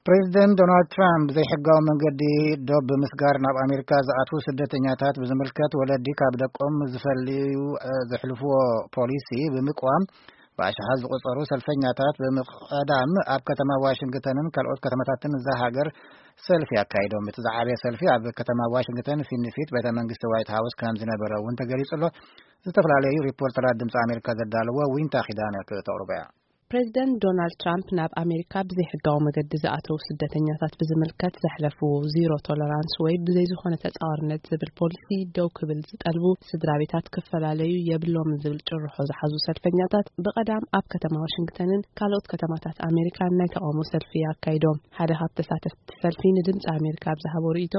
ፕሬዚደንት ዶናልድ ትራምፕ ብዘይሕጋዊ መንገዲ ዶብ ብምስጋር ናብ ኣሜሪካ ዝኣትዉ ስደተኛታት ብዝምልከት፣ ወለዲ ካብ ደቆም ዝፈልዩ ዘሕልፍዎ ፖሊሲ ብምቅዋም፣ ብኣሽሓት ዝቆጸሩ ሰልፈኛታት ብምቕዳም ኣብ ከተማ ዋሽንግተንን ካልኦት ከተማታትን እዛ ሃገር ሰልፊ ኣካይዶም። እቲ ዝዓበየ ሰልፊ ኣብ ከተማ ዋሽንግተን ፊት ንፊት ቤተ መንግስቲ ዋይት ሃውስ ከም ዝነበረ እውን ተገሊጹ ኣሎ። ዝተፈላለዩ ሪፖርተራት ድምፂ ኣሜሪካ ዘዳለዎ ዊንታ ኪዳነ ክተቕርቦ እያ። ፕሬዚደንት ዶናልድ ትራምፕ ናብ ኣሜሪካ ብዘይሕጋዊ መገዲ ዝኣተዉ ስደተኛታት ብዝምልከት ዘሕለፍዎ ዚሮ ቶለራንስ ወይ ብዘይ ዝኾነ ተጻዋርነት ዝብል ፖሊሲ ደው ክብል ዝጠልቡ ስድራ ቤታት ክፈላለዩ የብሎምን ዝብል ጭርሖ ዝሓዙ ሰልፈኛታት ብቐዳም ኣብ ከተማ ዋሽንግተንን ካልኦት ከተማታት ኣሜሪካን ናይ ተቓውሞ ሰልፊ ኣካይዶም። ሓደ ካብ ተሳተፍቲ ሰልፊ ንድምፂ ኣሜሪካ ኣብ ዝሃቦ ርእይቶ፣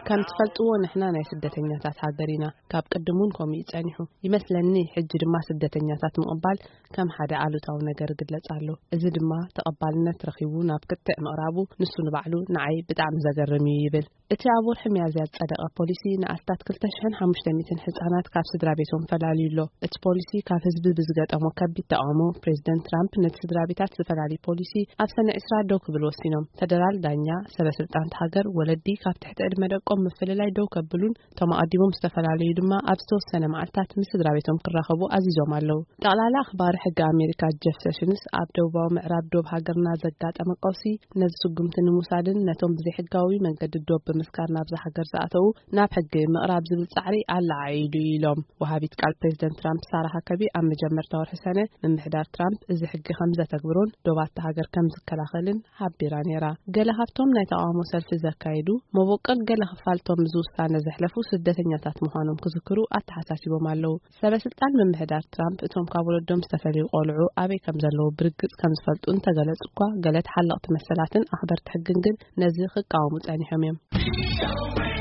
ከም ትፈልጥዎ ንሕና ናይ ስደተኛታት ሃገር ኢና። ካብ ቅድም እውን ከምኡ እዩ ጸኒሑ። ይመስለኒ ሕጂ ድማ ስደተኛታት ምቕባል ከም ሓደ ኣሉታዊ ነገር ይግለጽ ኣሎ። እዚ ድማ ተቐባልነት ረኺቡ ናብ ክትዕ ምቕራቡ ንሱ ንባዕሉ ንዓይ ብጣዕሚ ዘገርም እዩ ይብል። እቲ ኣብ ወርሒ ሚያዝያ ዝጸደቐ ፖሊሲ ንኣስታት ክልተ ሽሕን ሓሙሽተ ሚእትን ህጻናት ካብ ስድራ ቤቶም ፈላልዩ ኣሎ። እቲ ፖሊሲ ካብ ህዝቢ ብዝገጠሞ ከቢድ ተቓውሞ ፕሬዚደንት ትራምፕ ነቲ ስድራ ቤታት ዝፈላሊ ፖሊሲ ኣብ ሰነ ዕስራ ደው ክብል ወሲኖም። ፈደራል ዳኛ ሰበ ስልጣን ሃገር ወለዲ ካብ ትሕቲ ዕድመ ደቆም ምፍልላይ ደው ከብሉን እቶም ኣቐዲሞም ዝተፈላለዩ ድማ ኣብ ዝተወሰነ መዓልታት ምስ ስድራ ቤቶም ክራኸቡ ኣዚዞም ኣለዉ። ጠቕላላ ኣኽባሪ ሕጊ ኣሜሪካ ጀፍ ሴሽንስ ኣብ ደቡባዊ ምዕራብ ዶብ ሃገርና ዘጋጠመ ቀውሲ ነዚ ስጉምቲ ንምውሳድን ነቶም ብዘይሕጋዊ መንገዲ ዶብ ብምስካር ናብዛ ሃገር ዝኣተዉ ናብ ሕጊ ምቕራብ ዝብል ጻዕሪ ኣለዓዒሉ ኢሎም። ወሃቢት ቃል ፕሬዚደንት ትራምፕ ሳራ ሃከቢ ኣብ መጀመርታ ወርሒ ሰነ ምምሕዳር ትራምፕ እዚ ሕጊ ከም ዘተግብሮን ዶባት ሃገር ከም ዝከላኸልን ሓቢራ ነይራ። ገለ ካብቶም ናይ ተቓውሞ ሰልፊ ዘካየዱ መበቆል ገለ ክፋልቶም እዚ ውሳነ ዘሕለፉ ስደተኛታት ምዃኖም ክዝክሩ ኣተሓሳሲቦም ኣለዉ። ሰበ ስልጣን ምምሕዳር ትራምፕ እቶም ካብ ወለዶም ዝተፈልዩ ቆልዑ ኣበይ ከም ዘለዉ ብርግጽ ከም ዝፈልጡ እንተገለጹ እኳ፣ ገለ ተሓለቕቲ መሰላትን ኣኽበርቲ ሕግን ግን ነዚ ክቃወሙ ጸኒሖም እዮም።